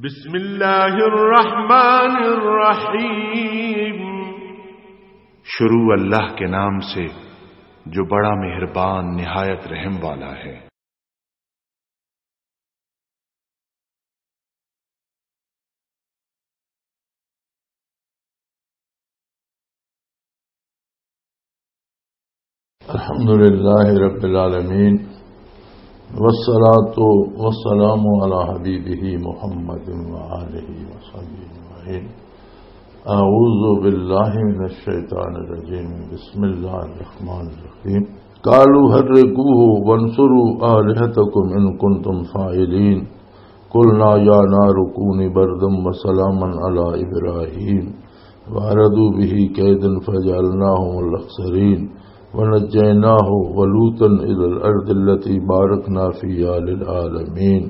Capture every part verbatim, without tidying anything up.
بسم اللہ الرحمن الرحیم۔ شروع اللہ کے نام سے جو بڑا مہربان نہایت رحم والا ہے۔ الحمد لله رب العالمين، والصلاة والسلام على حبيبه محمد وآله وصحبه أجمعين. أعوذ بالله من الشيطان الرجيم. بسم الله الرحمن الرحيم. قالوا حرقوه وانصروا آلهتكم إن كنتم فاعلين. قلنا يا نار كوني بردا وسلاما على إبراهيم وأرادوا به كيدا فجعلناهم الأخسرين ونجيناه ولوطا إلى الأرض التي باركنا فيها للعالمين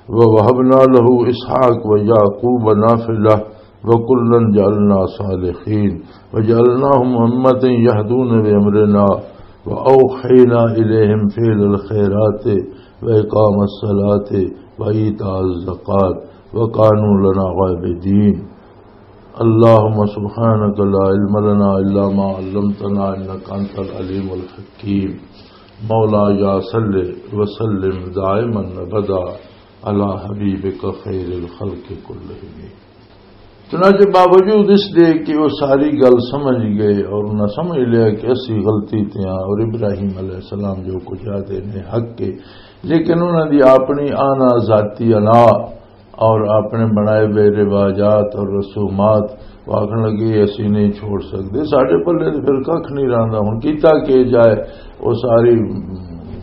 ووهبنا له إسحاق ويعقوب نافلة وكلا جعلنا صالحين وجعلناهم أمة يهدون بأمرنا وأوحينا إليهم فعل الخيرات وإقام الصلاة وإيتاء الزكاة وكانوا لنا عابدين. اللهم سبحانك لا علم لنا إلا ما علمتنا إنك أنت العليم الحكيم. مولاي صل وسلم دائما أبدا على حبيبك خير الخلق كلهم. چنانچہ باوجود اس دے کہ وہ ساری گل سمجھ گئے اور انہاں سمجھ لیا کہ اسی غلطی تے ہاں اور ابراہیم علیہ السلام جو کچھ آتے نے حق کے، لیکن انہاں دی اپنی آنا ذاتی انا اور اپنے بنائے ہوئے رواجات اور رسومات، وہ آکھن لگے، "اسی نہیں چھوڑ سکدے، ساڈے پلے تے پھر ککھ نہیں رہندا، ہن کیتا کی جائے؟" وہ ساری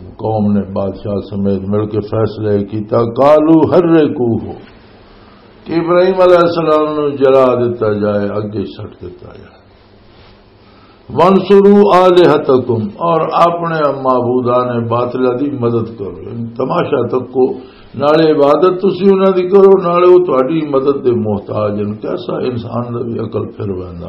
قوم نے بادشاہ سمیت مل کے فیصلہ کیتا، "قالوا حرقوه"، کہ ابراہیم علیہ السلام نو جلا دتا جائے، اگے سٹ دتا جائے۔ "وانصروا آلہتکم"، اور اپنے معبودان باطلہ دی مدد کرو۔ یعنی تماشا تکو، نالے عبادت تسی انہاں دی کرو، نالے وہ تہاڈی مدد دے محتاج ہیں۔ کیسا انسان دا بھی عقل پھر ویندا۔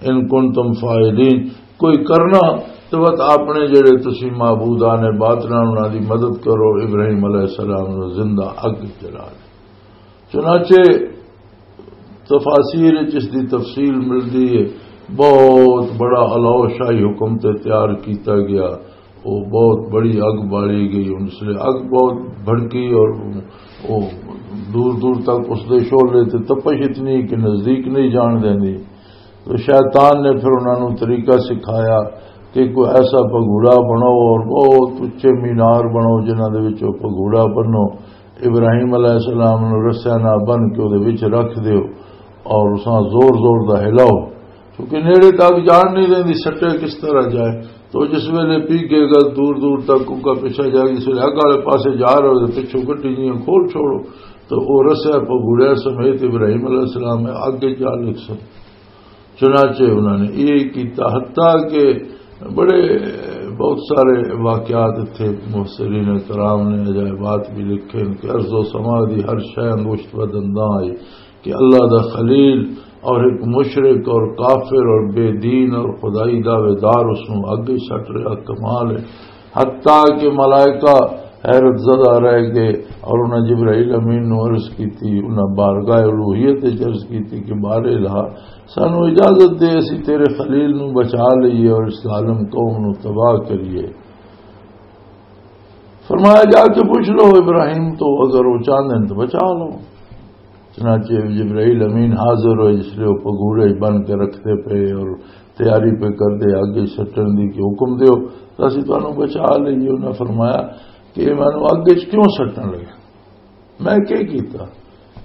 "ان کنتم فاعلین"، کوئی کرنا تو وت اپنے جڑے تسی معبودان باطلہ انہاں دی مدد کرو، ابراہیم علیہ السلام نو زندہ اگ جلا دے۔ چنانچہ تفاسیر وچ اس دی تفصیل ملدی ہے۔ بہت بڑا الاؤ شاہی حکم تے تیار کیتا گیا۔ وہ بہت بڑی اگ بالی گئی۔ ہن اس لیے اگ بہت بھڑکی اور وہ دور دور تک اس دے شعلے تے تپش اتنی کہ نزدیک نہیں جان دیندی۔ تو شیطان نے پھر انہاں نوں طریقہ سکھایا کہ کوئی ایسا پگھوڑا بناؤ اور بہت اچے مینار بناؤ جنہاں دے وچ وہ پگھوڑا بنو۔ ابراہیم علیہ السلام نوں رسیاں نال بن کے وہ دے وچ رکھ دیو اور اساں زور زور دا ہلاؤ، کیونکہ نیڑے تک جان نہیں دیندی، سٹے کس طرح جائے۔ تو جس ویلے پی گئے گا، دور دور تک ان کا پیچھا جائے، جس ویلے اگ والے پاسے جا رہے ہو تو پچھوں گڈی جیاں کھول چھوڑو، تو وہ رسیا پگھوڑیا سمیت ابراہیم علیہ السلام اگے جا لکھ سن۔ چنانچہ انہوں نے یہ کیتا، حتیٰ کہ بڑے، بہت سارے واقعات اتھے مفسرین کرام نے عجائبات بھی لکھے ہیں کہ ارض و سما دی ہر شے انگشت و دنداں آئی کہ اللہ دا خلیل اور ایک مشرک اور کافر اور بے دین اور خدائی دعوے دار اس نوں اگے سٹ رہا۔ کمال ہے۔ حتیٰ کہ ملائکہ حیرت زدہ رہ گئے اور انہاں جبرائیل امین نوں عرض کیتی، انہاں بارگاہ الوہیت وچ عرض کیتی کہ بار الہ، سانو اجازت دے، اسی تیرے خلیل نو بچا لئیے اور اس ظالم قوم نو تباہ کریے۔ فرمایا، "جا کے پوچھ لو ابراہیم تو، اگر وہ چاہندے ہیں تو بچا لو۔" چنانچہ جبرائیل امین حاضر ہوئے، جس لئے وہ پگوڑے بن کے رکھتے پے اور تیاری پہ کر دے، آگے سٹن دی کہ حکم دیو، تو اسی تانوں بچا لئیے۔ انہاں فرمایا کہ یہ مینوں اگ وچ کیوں سٹن لگے؟ میں کیا کیتا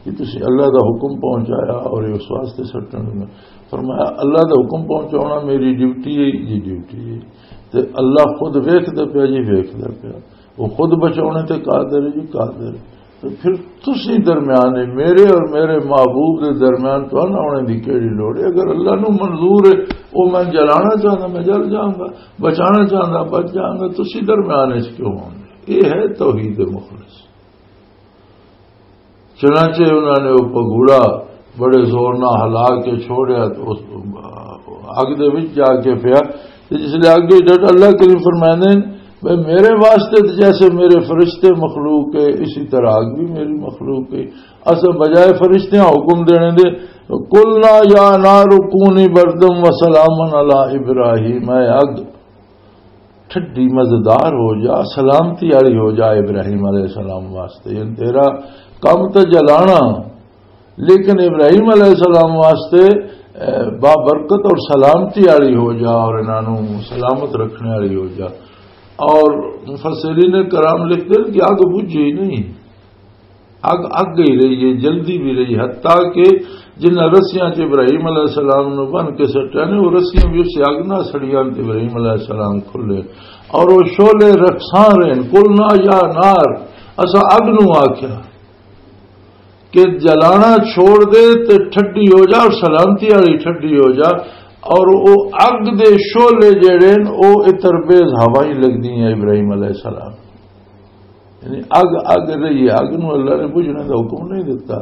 کہ تسی اللہ دا حکم پہنچایا اور یہ اس واسطے سٹن لگے؟ فرمایا، اللہ دا حکم پہنچانا میری ڈیوٹی ہے جی، ڈیوٹی ہے۔ تے اللہ خود ویکھدا پیا جی، ویکھدا پیا۔ وہ خود بچاؤنے تے قادر ہے جی، قادر ہے۔ تو پھر تسی درمیان ہے، میرے اور میرے محبوب دے درمیان تو نہ ہونے دی کیڑی لوڑ ہے؟ اگر اللہ نو منظور ہے، وہ میں جلانا چاہتا، میں جل جاؤں گا، بچانا چاہتا، بچ جاؤں گا۔ تسی درمیان ہے کیوں ہونے؟ یہ ہے توحید مخلص۔ چنانچہ انہوں نے وہ پگوڑا بڑے زور نہ ہلا کے چھوڑیا تو اس اگ دے وچ جا کے پیا۔ تے جس لے اگ وچ ڈٹ، اللہ کریم فرمائندے نے بھئی، میرے واسطے تو جیسے میرے فرشتے مخلوق ہے، اسی طرح آگ بھی میری مخلوق ہے۔ اساں بجائے فرشتیاں حکم دینے دے، "قلنا یا نار کونی بردم و سلاما علی ابراہیم"، اے اگ، ٹھڈی مزیدار ہو جا، سلامتی والی ہو جا ابراہیم علیہ السلام واسطے۔ یعنی تیرا کم تو جلانا، لیکن ابراہیم علیہ السلام واسطے، اے، بابرکت اور سلامتی والی ہو جا، اور انہاں نوں سلامت رکھنے والی ہو جا۔ اور مفسرین کرام لکھتے ہیں کہ اگ بجھی ہی نہیں، اگ اگ ہی رہی ہے، جلدی بھی رہی، حتیٰ کہ جنہاں رسیاں چ ابراہیم علیہ السلام نو بن کے سٹیا نے، وہ رسیاں بھی اس اگ نہ سڑیاں تے ابراہیم علیہ السلام کھلے اور وہ شعلے رکھساں رہے۔ "قلنا یا نار"، اسا اگ نو آکھیا کہ جلانا چھوڑ دے تے ٹھڈی ہو جا، اور سلامتی والی ٹھڈی ہو جا۔ اور او اگ دے شعلے جڑے نے، او اتر بیز ہوائیں لگدی ہیں ابراہیم علیہ السلام۔ یعنی اگ اگ رہی ہے، اگ نو اللہ نے بجھنے دا حکم نہیں دتا،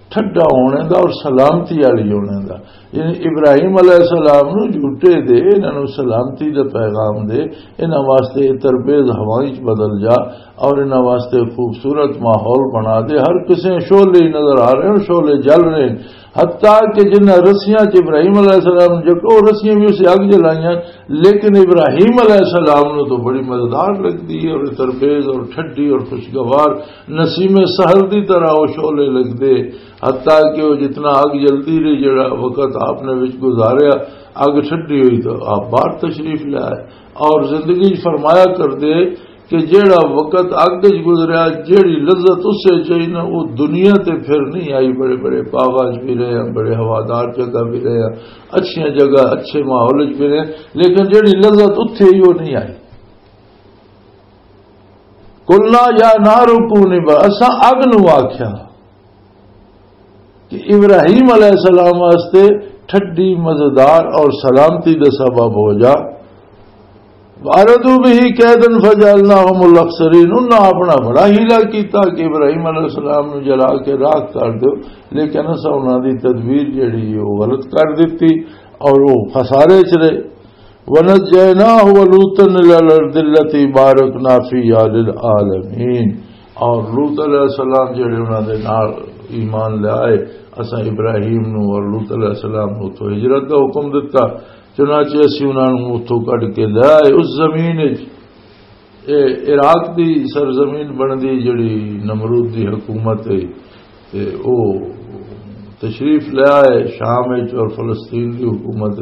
ٹھڈا ہونے دا اور سلامتی والی ہونے دا۔ یعنی ابراہیم علیہ السلام نو جھوٹے دے، انہاں نو سلامتی دا پیغام دے، انہاں واسطے اتر بیز ہوائیں چ بدل جا، اور انہاں واسطے خوبصورت ماحول بنا دے۔ ہر کسے شعلے ہی نظر آ رہے ہیں، شعلے جل رہے ہیں۔ حتیٰ کہ جنہاں رسیاں چ ابراہیم علیہ السلام نے جکو، رسیاں بھی اسے اگ جلائیاں، لیکن ابراہیم علیہ السلام نو تو بڑی مزیدار لگدی ہے، اور تربیز اور ٹھڈی اور خوشگوار نسیم سحر دی طرح وہ شعلے لگدے۔ حتیٰ کہ وہ جتنا اگ جلدی رہی، جڑا وقت آپ نے وچ گزاریا، اگ ٹھڈی ہوئی تو آپ باہر تشریف لے آئے۔ اور زندگی فرمایا کردے کہ جیڑا وقت اگ وچ گزریا، جیڑی لذت اس وچ آئی نا، وہ دنیا تے پھر نہیں آئی۔ بڑے بڑے باغاں وچ بھی رہے ہیں، بڑے ہوادار جگہ بھی رہے ہیں، اچھیاں جگہ، اچھے ماحول وچ بھی رہے ہیں، لیکن جیڑی لذت اتھے آئی، وہ نہیں آئی۔ "قلنا یا نار کونی بر-"، اساں اگ نو آکھیا کہ ابراہیم علیہ السلام واسطے ٹھڈی، مزیدار اور سلامتی دا سبب ہو جا۔ "وَأَرَادُوا بِهِ كَيْدًا فَجَعَلْنَاهُمُ الْأَخْسَرِينَ"، انہاں اپنا بڑا حیلہ کیتا کہ ابراہیم علیہ السلام نو جلا کے راکھ کر دیو، لیکن اساں انہاں دی تدبیر جڑی ہے، وہ غلط کر دتی اور وہ خسارے چ رہے۔ "وَنَجَّيْنَاهُ وَلُوطًا إِلَى الْأَرْضِ الَّتِي بَارَكْنَا فِيهَا لِلْعَالَمِينَ"، اور لوط علیہ السلام جڑے انہاں دے نال ایمان لے آئے، اساں ابراہیم نو اور لوط علیہ السلام نو تو ہجرت دا حکم دتا۔ چنانچہ اسی انہاں نو اتھوں کڈ کے لے آئے اس زمین وچ۔ اے عراق دی سرزمین بندی جڑی نمرود دی حکومت ہے، تے او تشریف لے آئے شام وچ، اور فلسطین دی حکومت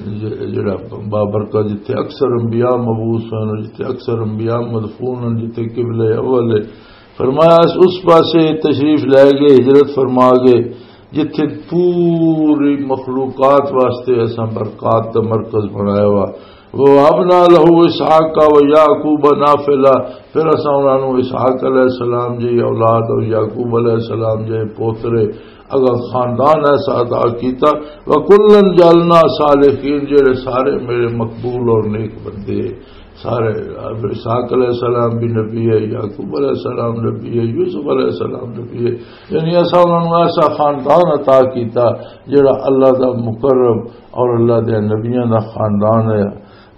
ج-، جڑا بابرکہ، جتھے اکثر انبیاء مبعوث ہوئے، جتھے اکثر انبیاء مدفون ہیں، جتھے قبلہ اول ہے۔ فرمایا، اس، اس پاسے تشریف لے گئے، ہجرت فرما گئے، جتھے پوری مخلوقات واسطے اساں برکات دا مرکز بنایا ہوا۔ "وَوَهَبْنَا لَهُ إِسْحَاقَ وَيَعْقُوبَ نَافِلَةً"، پھر اساں انہاں نوں اسحاق علیہ السلام جی اولاد اور یعقوب علیہ السلام جی پوترے، اگا خاندان ایسا عطا کیتا۔ "وَكُلًّا جَعَلْنَا صَالِحِينَ"، جڑے سارے میرے مقبول اور نیک بندے، سارے اسحاق علیہ السلام بھی نبی ہے، یعقوب علیہ السلام نبی ہے، یوسف علیہ السلام نبی ہے۔ یعنی اساں انہاں نوں ایسا خاندان عطا کیتا جڑا اللہ دا مقرب اور اللہ دے نبیاں دا خاندان ہے۔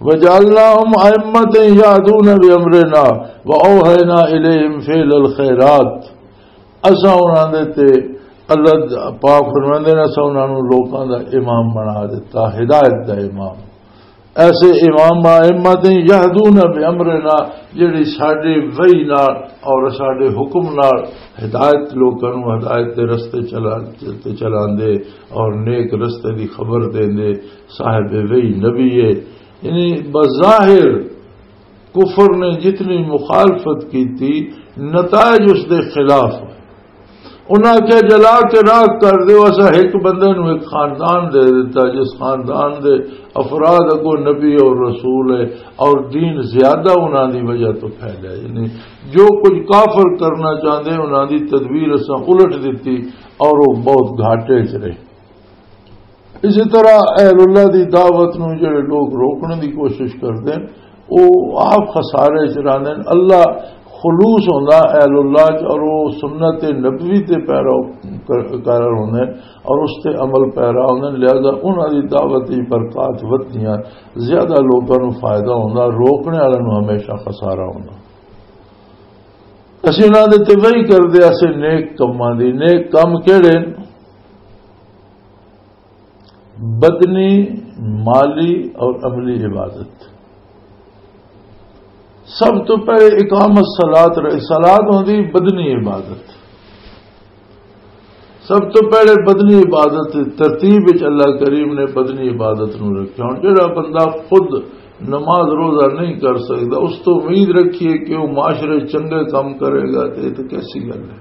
"وَجَعَلْنَاهُمْ أَئِمَّةً يَهْدُونَ بِأَمْرِنَا وَأَوْحَيْنَا إِلَيْهِمْ فِعْلَ الْخَيْرَاتِ"، اساں انہاں دے تے، اللہ پاک فرماندے نے، اساں انہاں نوں لوکاں دا امام بنا دتا، ہدایت دا امام۔ ایسے امام، "أَئِمَّةً يَهْدُونَ بِأَمْرِنَا"، جڑی ساڈے وحی نال اور ساڈے حکم نال ہدایت، لوکاں نوں ہدایت دے رستے چلا، تے چلاندے اور نیک رستے دی خبر دیندے، صاحب وحی نبی ہے۔ یعنی بظاہر کفر نے جتنی مخالفت کیتی، نتائج اس دے خلاف ہوئے۔ انہاں آکھیا، "جلا کے راکھ کر دیو، اساں ایک بندے نوں ایک خاندان دے دیتا، جس خاندان دے افراد اگوں نبی اور رسول ہے اور دین زیادہ انہاں دی وجہ تو پھیلیا"۔ یعنی جو کچھ کافر کرنا چاہندے، انہاں دی تدبیر اساں الٹ دتی اور وہ بہت گھاٹے چ رہے۔ اسی طرح اہل اللہ دی دعوت نوں جڑے لوگ روکنے دی کوشش کردے ہیں، وہ آپ خسارے چ رہندے ہیں۔ اللہ خلوص ہوندا اہل اللہ چ، اور وہ سنت نبوی تے پیرا کر- کار ہوندے اور اس تے عمل پیرا ہوندے، لہذا انہاں دی دعوت دی برکات ودھدیاں، زیادہ لوکاں نوں فائدہ ہوندا، روکنے والے نوں ہمیشہ خسارہ ہوندا۔ اسی انہاں دے تے وہی کردے، اسے نیک کماں دی، نیک کم کہڑے؟ بدنی، مالی اور عملی عبادت۔ سب تو پہلے اقامت صلات رہی، صلات ہوندی بدنی عبادت۔ سب تو پہلے بدنی عبادت ترتیب وچ اللہ کریم نے بدنی عبادت نو رکھیا۔ ہن جڑا بندہ خود نماز روزہ نہیں کر سکدا، اس تو امید رکھیے کہ وہ معاشرے چنگے کام کرے گا، تے یہ تو کیسی گل ہے؟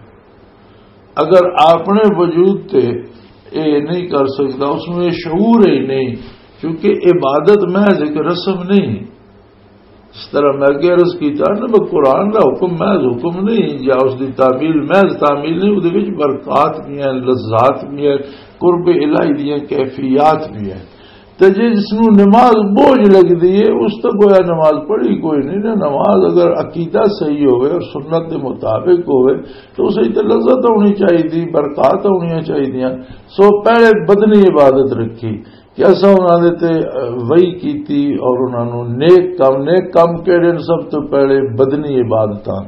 اگر اپنے وجود تے اے نہیں کر سکدا، اس میں شعور ہی نہیں، کیونکہ عبادت محض ایک رسم نہیں۔ اس طرح میں اگے عرض کیتا نا، میں قرآن دا حکم محض حکم نہیں، یا اس دی تعمیل محض تعمیل نہیں، وہ وچ برکات بھی ہیں، لذات بھی ہیں، قرب الہی دیاں کیفیات بھی ہیں۔ تے جے جس نوں نماز بوجھ لگدی ہے، اس تو گویا نماز پڑھی کوئی نہیں نا۔ نماز اگر عقیدہ صحیح ہوئے اور سنت دے مطابق ہوئے، تو اس وچ تے لذت ہونی چاہیے، برکات ہونی چاہیے۔ سو پہلے بدنی عبادت رکھی کہ اساں انہاں دے تے، اہ، وحی کیتی اور انہاں نوں نیک کم، نیک کم کہڑے نے؟ سب تو پہلے بدنی عبادتاں،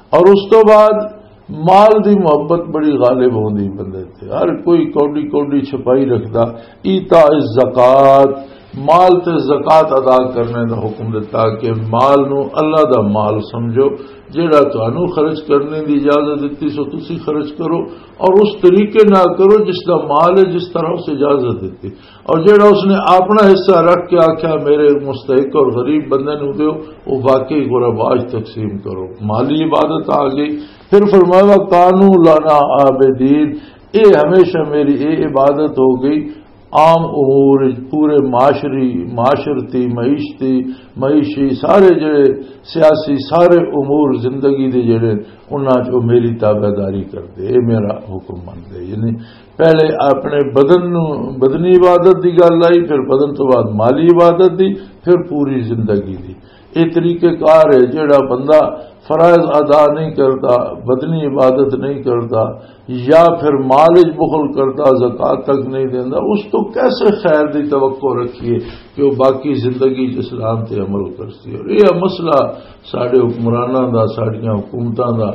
اور اس تو بعد مال دی محبت بڑی غالب ہوندی بندے تے۔ ہر کوئی کوڈی کوڈی چھپائی رکھدا۔ ایتاء الزکات، مال تے زکات ادا کرنے دا حکم دتا کہ مال نو اللہ دا مال سمجھو، جیڑا تانوں خرچ کرنے دی اجازت دتی سو تسی خرچ کرو، اور اس طریقے نال کرو جس دا مال ہے، جس طرح اس اجازت دتی۔ اور جڑا اس نے اپنا حصہ رکھ کے آکھیا، "میرے مستحق اور غریب بندے نوں دیو"، وہ واقعی غربا وچ تقسیم کرو۔ مالی عبادت آ گئی۔ پھر فرمایا، "کانوا لنا عابدین"، اے ہمیشہ میری اے عبادت ہو گئی۔ عام امور وچ، پورے معاشری، معاشرتی، معیشتی، معیشی، سارے جڑے سیاسی، سارے امور زندگی دے جڑے، انہاں چ وہ میری تابعداری کردے، اے میرا حکم منتے۔ یعنی پہلے اپنے بدن نو، بدنی عبادت دی گل آئی، پھر بدن تو بعد مالی عبادت دی، پھر پوری زندگی دی۔ یہ طریقہ کار ہے، جڑا بندہ فرائض ادا نہیں کرتا، بدنی عبادت نہیں کرتا، یا پھر مال وچ بخل کرتا، زکوٰۃ تک نہیں دیندا، اس تو کیسے خیر دی توقع رکھیے کہ وہ باقی زندگی چ اسلام تے عمل کرسی؟ اور یہ مسئلہ ساڈے حکمراناں دا، ساڈیاں حکومتاں دا،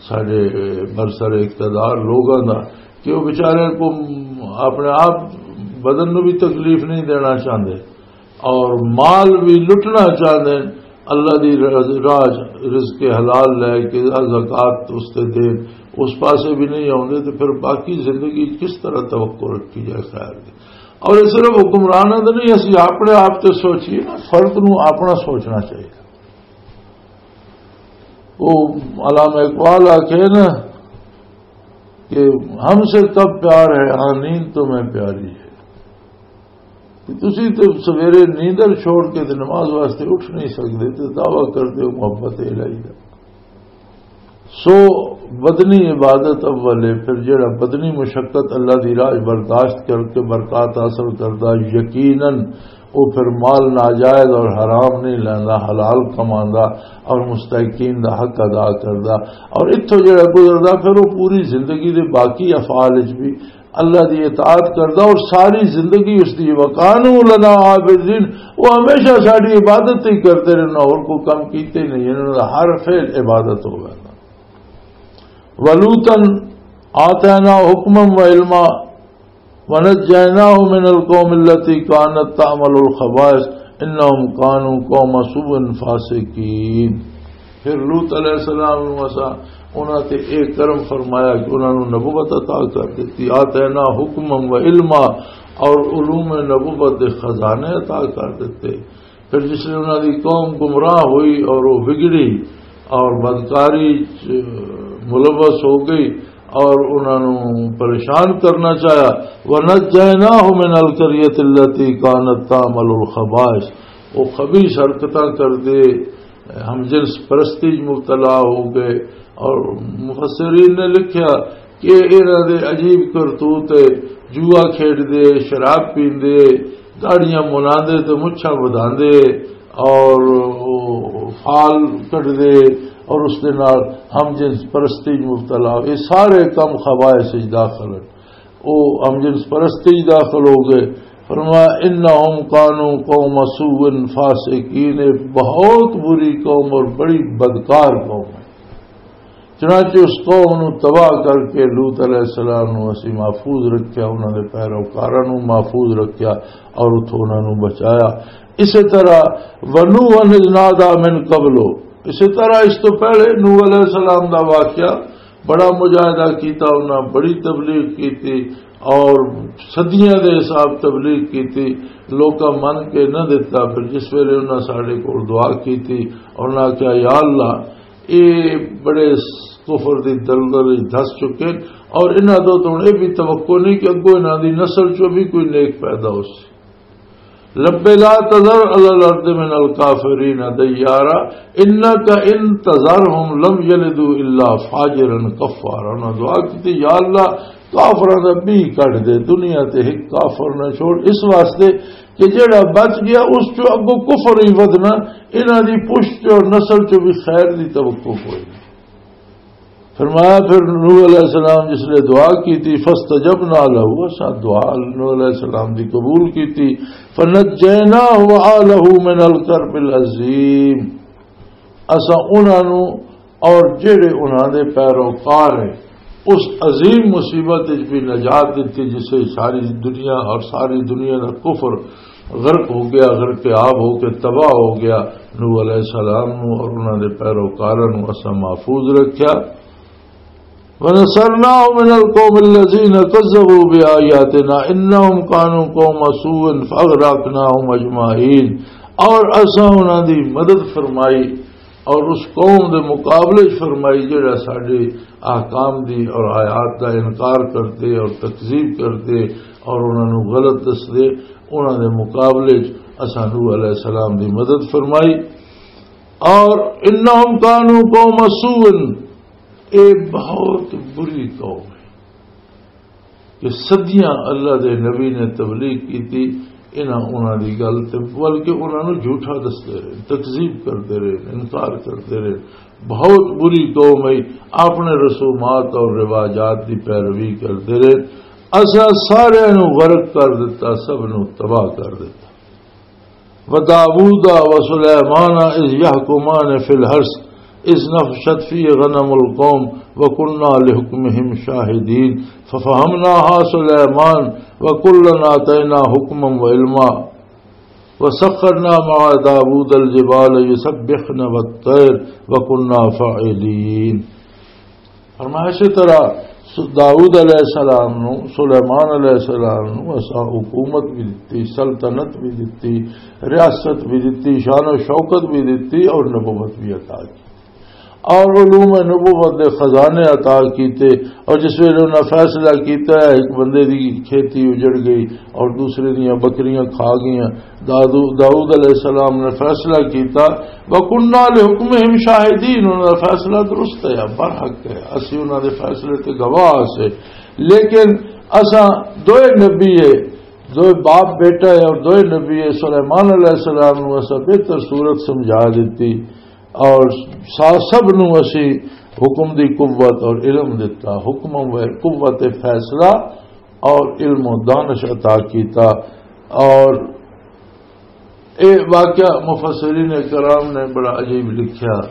ساڈے برسر اقتدار لوگاں دا، کہ وہ بیچارے کو اپنے آپ بدن نو بھی تکلیف نہیں دینا چاہندے اور مال بھی لٹنا چاہندے ہیں۔ اللہ دی راہ، رزق حلال لے کے، زکوٰۃ اس تے دے، اس پاسے بھی نہیں آوندے، تو پھر باقی زندگی کس طرح توقع رکھی جائے خیر دی؟ اور یہ صرف حکمرانوں دے نہیں، اسی اپنے آپ تے سوچیے نا، فرد نو اپنا سوچنا چاہیے۔ وہ علامہ اقبال آکھے نا کہ ہم سے کب پیار ہے، ہاں نیند تو میں پیاری ہے۔ کہ تسی تے سویرے نیندر چھوڑ کے تے نماز واسطے اٹھ نہیں سکدے تے دعویٰ کردے ہو محبت الہی دا۔ سو بدنی عبادت اول ہے، پھر جڑا بدنی مشقت اللہ دی راہ برداشت کر کے برکات حاصل کردا، یقیناً وہ پھر مال ناجائز اور حرام نہیں لیندا، حلال کماندا اور مستحقین دا حق ادا کردا۔ اور اتھوں جڑا گزردا، پھر وہ پوری زندگی دے باقی افعال وچ بھی اللہ دی اطاعت کردا اور ساری زندگی اس دی، "وَكَانُوا لَنَا عَابِدِينَ"، وہ ہمیشہ ساڈی عبادت ہی کرتے رہنا، اور کوئی کم کیتے ہی نہیں، انہاں دا ہر فعل عبادت ہو گیا۔ وَلُوطًا آتَيْنَاهُ حُكْمًا وَعِلْمًا وَنَجَّيْنَاهُ مِنَ الْقَوْمِ الَّتِي كَانَتْ تَعْمَلُ الْخَبَائِثَ إِنَّهُمْ كَانُوا قَوْمَ سُوءٍ فَاسِقِينَ۔ پھر لوط علیہ السلام نوں اساں انہاں تے اے کرم فرمایا کہ انہاں نوں نبوت عطا کر دتی۔ آتینا حکما و علما، اور علوم نبوت دے خزانے عطا کر دتے۔ پھر جس لئے انہاں دی قوم گمراہ ہوئی اور وہ بگڑی اور بدکاری چ ملوث ہو گئی اور انہاں نوں پریشان کرنا چاہیا، ونجیناہ من القریۃ التی کانت تعمل الخبائث، وہ خبیث حرکتاں کردے ہم جنس پرستی وچ مبتلا ہو گئے۔ اور مفسرین نے لکھیا کہ انہاں دے عجیب کرتوت ہے، جوا کھیڈ دے، شراب پیندے، داڑیاں مناندے تے مچھاں ودھاندے اور فال کڈ دے اور اس دے نال ہم جنس پرستی وچ مبتلا ہو، یہ سارے کم خبائث وچ داخل ہیں۔ او ہم جنس پرستی وچ داخل ہو گئے۔ فرمایا، "انہم کانوا قوم سوء فاسقین"، یہ بہت بری قوم اور بڑی بدکار قوم ہے۔ چنانچہ اس قوم نو تباہ کر کے لوط علیہ السلام نو اسی محفوظ رکھیا، انہاں دے پیروکاراں نو محفوظ رکھیا اور اتھوں انہاں نو بچایا۔ اسی طرح، "ونوحا اذ نادی من قبل"، اسی طرح اس تو پہلے نوح علیہ السلام دا واقعہ، بڑا مجاہدہ کیتا، انہاں بڑی تبلیغ کیتی اور صدیاں دے حساب تبلیغ کیتی، لوکاں من کے نہ دتا۔ پھر جس ویلے انہاں ساڈے کول دعا کیتی اور انہاں آکھیا، "یا اللہ، اے بڑے کفر دی دلدل وچ دھس چکے اور انہاں تو تو ہن اے بھی توقع نہیں کہ اگوں انہاں دی نسل چوں بھی کوئی نیک پیدا ہو سی۔" "رب لا تذر علی الارض من الکافرین دیارا، انک ان تذرہم لم یلدوا الا فاجرا کفارا۔" انہاں دعا کیتی، "یا اللہ، کافراں دا بھی کڈ دے، دنیا تے ایک کافر نہ چھوڑ۔" اس واسطے کہ جڑا بچ گیا، اس چوں اگوں کفر ہی ودنا، انہاں دی پشت چوں اور نسل چوں بھی خیر دی توقع کوئی نہیں۔ فرمایا، پھر نوح علیہ السلام جس نے دعا کی تھی، "فاستجبنا لہ"، اساں دعا نوح علیہ السلام دی قبول کی تھی، "فنجیناہ وآلہ من الکرب العظیم"، اساں انہاں نو اور جڑے انہاں دے پیروکار ہیں، اس عظیم مصیبت وچ بھی نجات دتی، جسے ساری دنیا اور ساری دنیا دا کفر غرق ہو گیا، غرق آب ہو کے تباہ ہو گیا۔ نوح علیہ السلام نو اور انہاں دے پیروکاراں نو اساں محفوظ رکھیا۔ "ونصرناہ من القوم الذین کذبوا بآیاتنا انہم کانوا قوم سوء فاغرقناہم اجمعین"، اور اساں انہاں دی مدد فرمائی اور اس قوم دے مقابلے چ فرمائی جڑا ساڈے احکام دی اور آیات دا انکار کردے اور تکذیب کردے اور انہاں نوں غلط دسدے، انہاں دے مقابلے چ اساں نوح علیہ السلام دی مدد فرمائی۔ اور انہم کانوا قوم سوء، اے بہت بری قوم ہے۔ کہ صدیاں اللہ دے نبی نے تبلیغ کیتی، انہاں انہاں دی گل تے، بلکہ انہاں نوں جھوٹا دسدے رہے، تکذیب کردے رہے، انکار کردے رہے۔ بہت بری قوم ہے، اپنے رسومات اور رواجات دی پیروی کردے رہے۔ اساں سارے نوں غرق کر دتا، سب نوں تباہ کر دتا۔ وداود وسليمان إذ يحكمان في الحرث إذ نفشت فيه غنم القوم وكنا لحكمهم شاهدين ففهمناها سليمان وكلا آتينا حكما وعلما وسخرنا مع داود الجبال يسبحن والطير وكنا فاعلين۔ فرمایا، اسی طرح س-، داؤد علیہ السلام نو، سلیمان علیہ السلام نو اساں حکومت بھی دتی، سلطنت بھی دتی، ریاست بھی دتی، شان و شوکت بھی دتی اور نبوت بھی عطا کی۔ اور علوم نبوت دے خزانے عطا کیتے۔ اور جس ویلے انہاں فیصلہ کیتا ہے، ایک بندے دی کھیتی اجڑ گئی اور دوسرے دیاں بکریاں کھا گئیاں، دادو-، داؤد علیہ السلام نے فیصلہ کیتا، "وَكُنَّا لِحُكْمِهِمْ شَاهِدِينَ"، انہاں دا فیصلہ درست ہے، برحق ہے، اسی انہاں دے فیصلے تے گواہ سے۔ لیکن اساں دوئے نبی ہے، دوئے باپ بیٹا ہے اور دوئے نبی ہے، سلیمان علیہ السلام نو اساں بہتر صورت سمجھا دیتی اور سا-، سب نو اسی حکم دی قوت اور علم دتا، حکم و قوت فیصلہ اور علم و دانش عطا کیتا۔ اور اے واقعہ مفسرین کرام نے بڑا عجیب لکھیا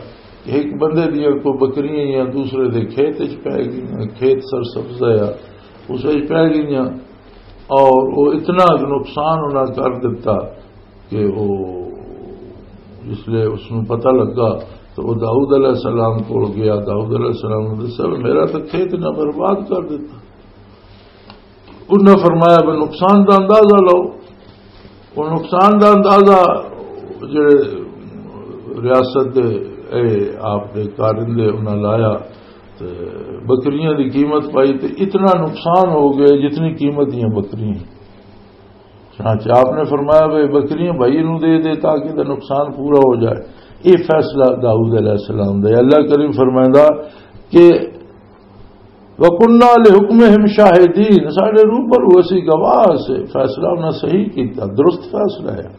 کہ ایک بندے دیاں کوئی بکریاں یا دوسرے دے کھیت وچ پے گئیاں، کھیت سرسبز ہے، اس وچ پے گئیاں اور وہ اتنا نقصان انہاں کر دتا کہ وہ جس لے اس نوں پتہ لگا تو وہ داؤد علیہ السلام کول گیا۔ داؤد علیہ السلام نے دسیا، "میرا تو کھیت نہ برباد کر دتا۔" انہاں فرمایا، "بھئی نقصان دا اندازہ لاؤ۔" وہ نقصان دا اندازہ جڑے ریاست دے، اے، آپ دے کارندے انہاں لایا تے بکریاں دی قیمت پائی تے اتنا نقصان ہو گیا جتنی قیمت دیاں بکریاں۔ چنانچہ آپ نے فرمایا، "بھئی بکریاں بھائی نوں دے دے تاکہ دا نقصان پورا ہو جائے۔" یہ فیصلہ داؤد علیہ السلام دا ہے۔ اللہ کریم فرمائندا کہ "وَكُنَّا لِحُكْمِهِمْ شَاهِدِينَ"، ساڈے روبرو اسی گواہ سے، فیصلہ انہاں صحیح کیتا، درست فیصلہ ہے۔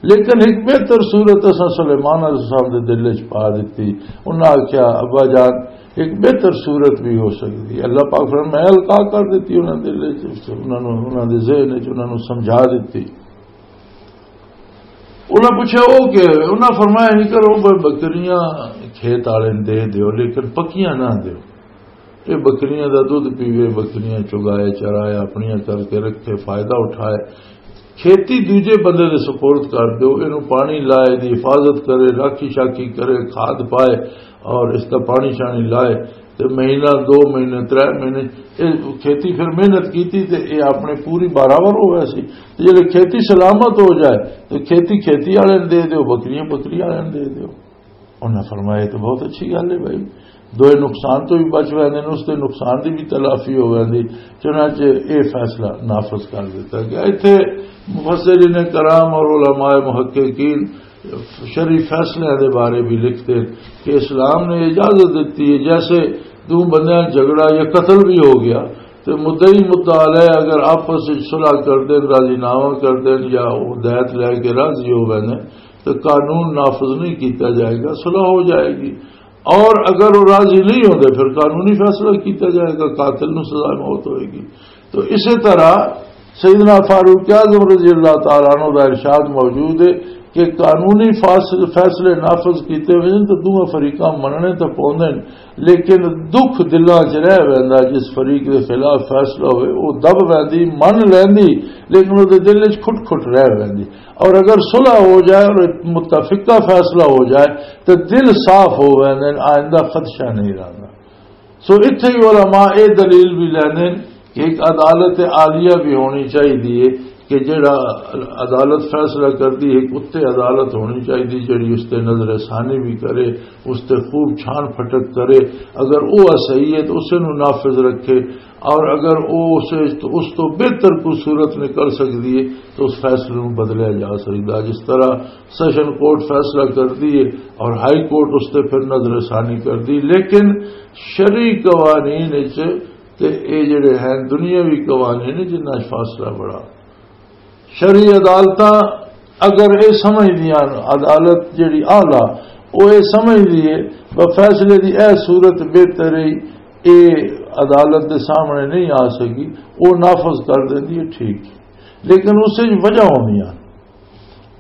لیکن ایک بہتر صورت اساں سلیمان علیہ السلام دے دل وچ پا دتی۔ انہاں آکھیا، "ابا جان، ایک بہتر صورت بھی ہو سکدی ہے۔" اللہ پاک فرمایا، "میں القا کر دتی انہاں دے دل وچ، انہاں نوں، انہاں دے ذہن وچ، انہاں نوں سمجھا دتی۔" انہاں پوچھیا، "او کیا ہے؟" انہاں فرمایا، "نہیں کرو، ب-، بکریاں کھیت والے نوں دے دیو، لیکن پکیاں نہ دیو۔ یہ بکریاں دا دودھ پیوے، بکریاں چگائے، چرائے، اپنیاں کر کے رکھے، فائدہ اٹھائے۔ کھیتی دوجے بندے دے سپرد کر دیو، اینوں پانی لائے، دی حفاظت کرے، راکھی شاکھی کرے، کھاد پائے اور اس دا پانی شانی لائے، تے مہینہ، دو مہینے، ترے مہینے، یہ کھیتی پھر محنت کیتی تے یہ اپنے پوری برابر ہو گیا سی۔ تے جے کھیتی سلامت ہو جائے، تو کھیتی کھیتی والے نوں دے دیو، بکریاں بکری والے نوں دے دیو۔" انہاں فرمایا، "یہ تو بہت اچھی گل ہے بھائی، دوئے نقصان تو بھی بچ ویندے نے، اس دے نقصان دی بھی تلافی ہو ویندی۔" چنانچہ یہ فیصلہ نافذ کر دیتا گیا۔ اتھے مفسرین کرام اور علماء محققین شرعی فیصلے دے بارے بھی لکھتے کہ اسلام نے اجازت دیتی ہے، جیسے دو بندیاں جھگڑا یا قتل بھی ہو گیا، تو مدعی مدعا علیہ اگر آپس وچ صلح کر دین، راضی نامہ کر دین یا ہدایت لے کے راضی ہو ویندے، تو قانون نافذ نہیں کیتا جائے گا، صلح ہو جائے گی۔ اور اگر وہ راضی نہیں ہوتے، پھر قانونی فیصلہ کیتا جائے گا، قاتل نو سزا موت ہوئے گی۔ تو اسی طرح سیدنا فاروق اعظم رضی اللہ تعالیٰ عنہ دا ارشاد موجود ہے کہ قانونی فاصل-، فیصلے نافذ کیتے ہوئے ہیں تو دونوں فریقاں مننے تو پوندے ہیں، لیکن دکھ دلاں چ رہ ویندا، جس فریق دے خلاف فیصلہ ہوئے وہ دب ویندی، من لیندی، لیکن وہ دے دل وچ کھٹ کھٹ رہ ویندی۔ اور اگر صلح ہو جائے اور متفقہ فیصلہ ہو جائے تو دل صاف ہو ویندے، آئندہ خدشہ نہیں رہندا۔ سو اتھے ہی علماء اے دلیل بھی لیندے کہ ایک عدالت عالیہ بھی ہونی چاہیے کہ جڑا عدالت فیصلہ کردی ہے، ایک اتھے عدالت ہونی چاہیے جڑی اس تے نظر ثانی بھی کرے، اس تے خوب چھان پھٹک کرے، اگر وہ صحیح ہے تو اسے نو نافذ رکھے، اور اگر وہ اسے تو، اس تو بہتر کوئی صورت نکل سکتی ہے تو اس فیصلے نو بدلیا جا سکتا ہے۔ جس طرح سیشن کورٹ فیصلہ کردی ہے اور ہائی کورٹ اس تے پھر نظر ثانی کردی، لیکن شرعی قوانین وچ تے اے جڑے ہیں دنیاوی قوانین جنہاں وچ فاصلہ بڑا۔ شرعی عدالتاں اگر اے سمجھ دیاں، عدالت جڑی اعلیٰ، او اے سمجھ دیے، وہ فیصلے دی اے صورت بہتر ہے، اے عدالت دے سامنے نہیں آ سکی، او نافذ کر دیندی ہے، ٹھیک ہے۔ لیکن اس وچ وجہ ہوندیاں۔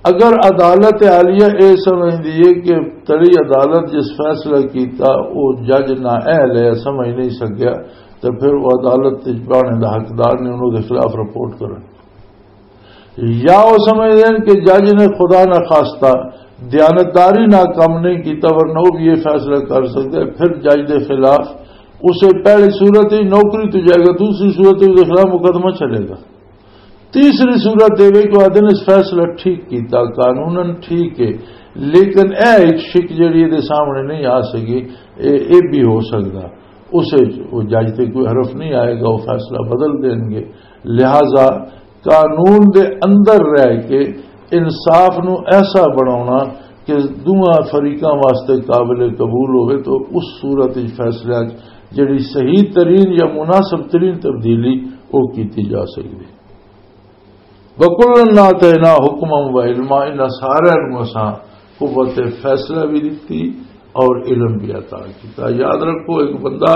اگر عدالت عالیہ اے سمجھ دیے کہ تڑی عدالت جس فیصلہ کیتا، او جج نہ اہل ہے، سمجھ نہیں سکیا، تو پھر وہ عدالت وچ بانے دا حقدار نے انہوں دے خلاف رپورٹ کرن۔ یا وہ سمجھ لین کہ جج نے خدا نہ خواستہ دیانتداری نہ کم نہیں کیتا، ورنہ وہ بھی یہ فیصلہ کر سکتا ہے، پھر جج دے خلاف اسے پہلی صورت ہی نوکری تو جائے گا، دوسری صورت ہی اس کے خلاف مقدمہ چلے گا۔ تیسری صورت یہ کہ آدھے نے اس فیصلہ ٹھیک کیتا، قانوناً ٹھیک ہے، لیکن اے ایک شک جڑی دے سامنے نہیں آ سکی، اے، اے بھی ہو سکتا۔ اسے وہ جج تے کوئی حرف نہیں آئے گا، وہ فیصلہ بدل دیں گے۔ لہذا قانون دے اندر رہ کے انصاف نو ایسا بناونا کہ دوواں فریقاں واسطے قابل قبول ہوئے تو اس صورت وچ فیصلہ جڑی صحیح ترین یا مناسب ترین تبدیلی وہ کیتی جا سکتی۔ وَكُلًّا آتَيْنَا حُكْمًا وَعِلْمًا، انہاں سارے نوں اساں قوت فیصلہ بھی دتی اور علم بھی عطا کیتا۔ یاد رکھو، ایک بندہ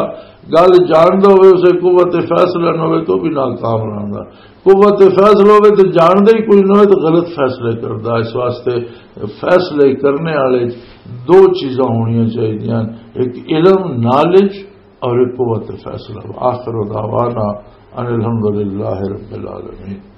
گل جاندا ہوئے، اسے قوت فیصلہ نہ ہوئے تو بھی ناکام رہندا۔ قوت فیصلہ ہوئے تو جاندا ہی کوئی نہ ہوئے تو غلط فیصلے کردا۔ اس واسطے فیصلے کرنے والے دو چیزاں ہونیاں چاہیدیاں، ایک علم، نالج، اور ایک قوت فیصلہ۔ وآخر دعوانا ان الحمد للہ رب العالمین۔